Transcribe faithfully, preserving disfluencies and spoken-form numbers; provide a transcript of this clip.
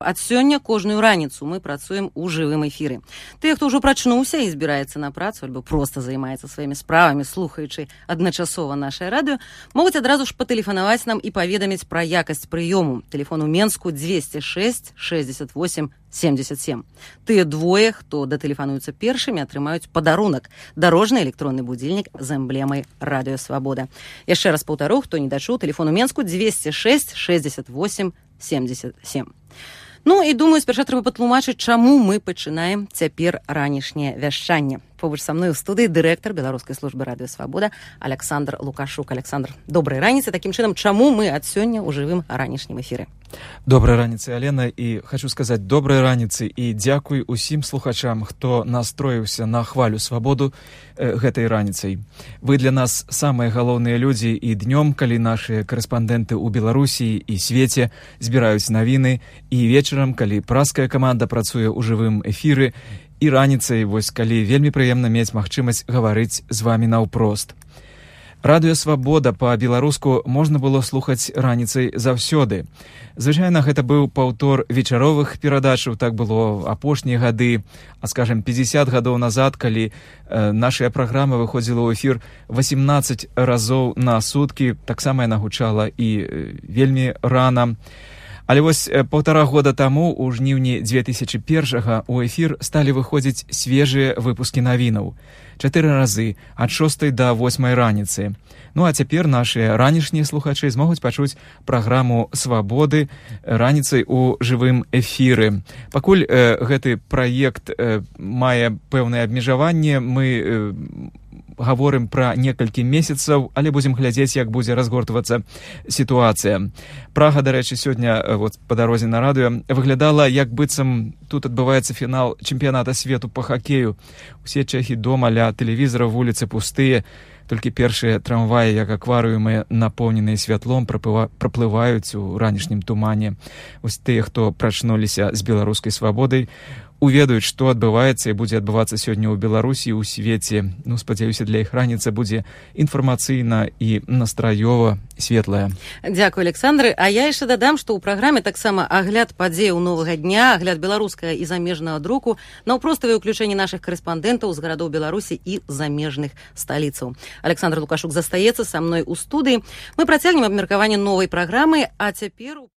Ад сёння кожную раніцу мы працуем у жывым эфіры. Тыя, хто ўжо прачнуўся і збіраецца на працу, альбо проста займаецца сваімі справамі, слухаючы адначасова нашае радыё, могуць адразу ж патэлефанаваць нам і паведаміць пра якасць прыёму. Тэлефон у Менску двести шесть шестьдесят восемь семьдесят семь. Тыя двое, хто датэлефануюцца першымі, атрымаюць падарунак – дарожны электронны будильнік з эмблемай «Радыё Свабода». Яшчэ раз паўтару, хто не дачуў, тэлефон у Менску двести шесть шестьдесят восемь семьдесят семь. Ну і думаю, спярша трэба патлумачыць, чаму мы пачынаем цяпер ранішняе вяшчанне. Побач са мной у студыі дырэктар Беларускай службы радыё Свабода Александр Лукашук. Александр, добрай раніцы. Такім чынам, чаму мы ад сёння ў жывым ранішнім эфіры? Добрай раніцы, Алена, і хочу сказаць добрай раніцы і дзякуй усім слухачам, хто настроіўся на хвалю свабоду э, гэтай раніцай. Вы для нас самыя галоўныя людзі і днём, калі нашыя корэспандэнты ў Беларусі і свеце збіраюць навіны, і вечарам, калі праская каманда працуе ў жывым эфіры, і раніцай, вось калі вельмі прыемна мець магчымасць гаварыць з вамі наўпрост. Радыё Свабода па-беларуску можна было слухаць раніцай заўсёды. Звычайна гэта быў паўтор вечаровых перадачаў, так было апошнія гады, а скажем, пятьдесят гадоў назад, калі э, нашая праграма выходзіла ў эфір восемнадцать разоў на суткі, таксама яна гучала і э, вельмі рана. Але вось паўтара года таму, у жніўні две тысячы першага, у эфір сталі выходзіць свежыя выпускі навінаў. Чатыры разы, ад шостай да восьмай раніцы. Ну а цяпер нашыя ранішнія слухачы змогуць пачуць праграму «Свабоды» раніцай у жывым эфіры. Пакуль э, гэты праект э, мае пэўнае абмежаванне, мы э, гаворым пра некалькі месяцаў, але будзем глядзець, як будзе разгортвацца сітуацыя. Прага, дарэчы, сёння вот, па дарозе на радыё выглядала, як быццам тут адбываецца фінал чэмпіяната свету па хакею. Усе чэхі дома ля тэлевізара, вуліцы пустыя, толькі першыя трамваі, як акварыумы, напоўненыя святлом, праплываюць у ранішнім тумане. Вось тыя, хто прачнуліся з беларускай свабодай, уведаюць, што адбываецца і будзе адбывацца сёння ў Беларусі і ў свеце. Ну, спадзяюся, для іх раніца будзе інфармацыйна і настраёва светлая. Дзякуй, Александр. А я яшчэ дадам, што ў праграме таксама агляд падзеяў новага дня, агляд беларускага і замежнага друку, наўпроставае ўключэнне нашых корэспандэнтаў з гарадоў Беларусі і замежных сталіцаў. Александр Лукашук застаецца са мной у студыі. Мы працягнем абмеркаванне новай праграмы, а цяпер...